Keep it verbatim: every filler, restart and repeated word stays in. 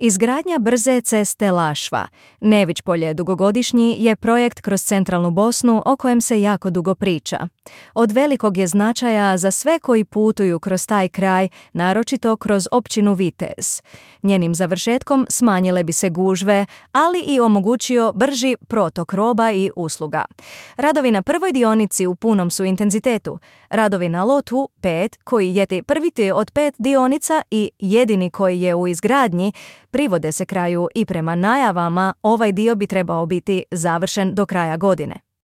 Izgradnja brze ceste Lašva, Nević Polje dugogodišnji, je projekt kroz centralnu Bosnu o kojem se jako dugo priča. Od velikog je značaja za sve koji putuju kroz taj kraj, naročito kroz općinu Vitez. Njenim završetkom smanjile bi se gužve, ali i omogućio brži protok roba i usluga. Radovi na prvoj dionici u punom su intenzitetu. Radovi na lotu pet, koji je prvi od pet dionica i jedini koji je u izgradnji, privode se kraju i prema najavama ovaj dio bi trebao biti završen do kraja godine.